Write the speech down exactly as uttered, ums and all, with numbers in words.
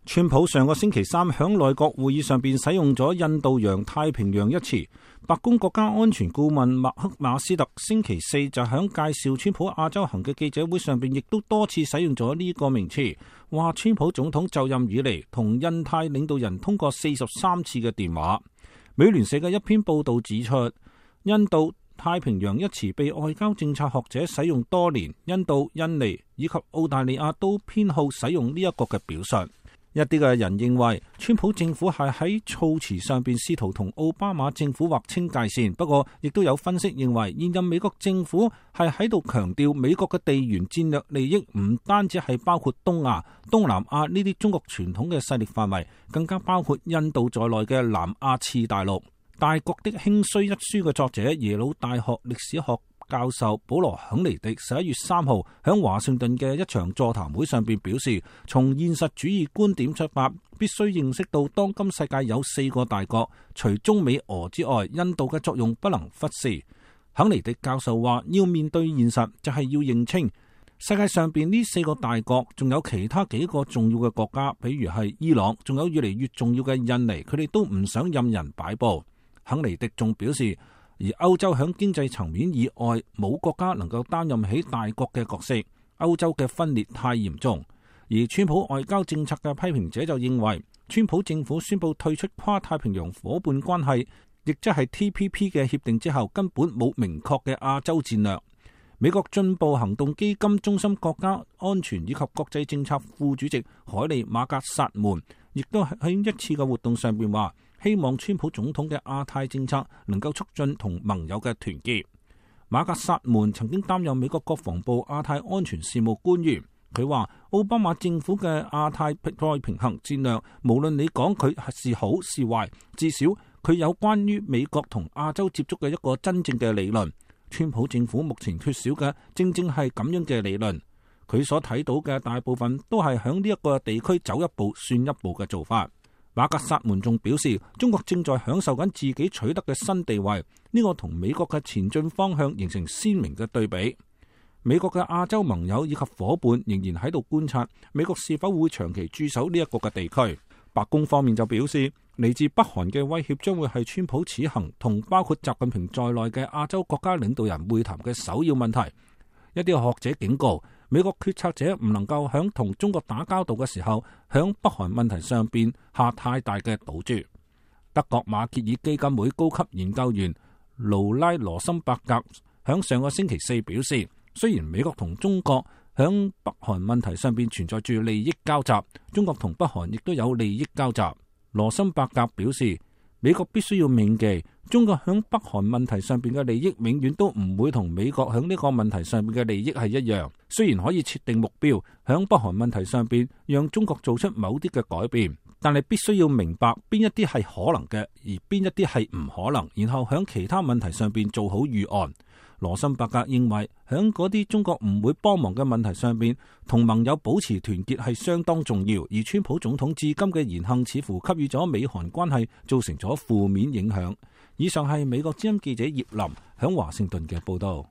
川普上個星期三響內閣會議上邊使用咗印度洋太平洋一詞，白宮國家安全顧問麥克馬斯特星期四就響介紹川普亞洲行嘅記者會上邊，亦都多次使用咗呢個名詞，話川普總統就任以嚟同印太領導人通過四十三次嘅電話。美聯社嘅一篇報道指出，印度太平洋一詞被外交政策學者使用多年，印度、印尼以及澳大利亞都偏好使用呢一個嘅表述。一啲嘅人認為，川普政府係喺措辭上邊試圖同奧巴馬政府劃清界線。不過，亦都有分析認為，現任美國政府係喺度強調美國嘅地緣戰略利益唔單止係包括東亞、東南亞呢啲中國傳統嘅勢力範圍，更加包括印度在內嘅南亞次大陸。《大國的興衰》一書嘅作者、耶魯大學歷史學教授保羅肯尼迪十一月三號響華盛頓嘅一場座談會上邊表示，從現實主義觀點出發，必須認識到當今世界有四個大國，除中美俄之外，印度嘅作用不能忽視。肯尼迪教授話，要面對現實就係要認清世界上邊呢四個大國，仲有其他幾個重要嘅國家，比如係伊朗，仲有越嚟越重要嘅印尼，佢哋都唔想任人擺布。肯尼迪仲表示，而歐洲響經濟層面以外，冇國家能夠擔任起大國嘅角色。歐洲嘅分裂太嚴重。而川普外交政策嘅批評者就認為，川普政府宣布退出跨太平洋夥伴關係，亦即係 T P P 嘅協定之後，根本冇明確嘅亞洲戰略。美國進步行動基金中心國家安全以及國際政策副主席海利馬格薩門，亦都喺一次嘅活動上邊話，希望川普總統嘅亞太政策能夠促進同盟友嘅團結。馬格薩門曾經擔任美國國防部亞太安全事務官員，佢話奧巴馬政府嘅亞太再平衡戰略，無論你講佢是好是壞，至少佢有關於美國同亞洲接觸嘅一個真正嘅理論。川普政府目前缺少嘅正正係咁樣嘅理論，佢所睇到嘅大部分都係響呢一個地區走一步算一步嘅做法。馬格薩門仲表示，中國正在享受緊自己取得嘅新地位，呢個同美國嘅前進方向形成鮮明嘅對比。美國嘅亞洲盟友以及夥伴仍然喺度觀察美國是否會長期駐守呢一個嘅地區。白宮方面就表示，嚟自北韓嘅威脅將會係川普此行同包括習近平在內嘅亞洲國家領導人會談嘅首要問題。一啲學者警告，美國決策者唔能夠響同中國打交道嘅時候，響北韓問題上邊下太大嘅賭注。德國馬歇爾基金會高級研究員盧拉羅森伯格響上個星期四表示，雖然美國同中國響北韓問題上邊存在住利益交集，中國同北韓亦都有利益交集。羅森伯格表示，美國必須要銘記，中國響北韓問題上邊嘅利益永遠都唔會同美國響呢個問題上邊嘅利益係一樣。雖然可以設定目標響北韓問題上邊讓中國做出某啲嘅改變，但係必須要明白邊一啲係可能嘅，而邊一啲係唔可能，然後響其他問題上邊做好預案。羅森伯格認為，響嗰啲中國唔會幫忙嘅問題上邊，同盟友保持團結係相當重要。而川普總統至今嘅言行似乎給予咗美韓關係造成咗負面影響。以上係美國之音記者葉林響華盛頓嘅報道。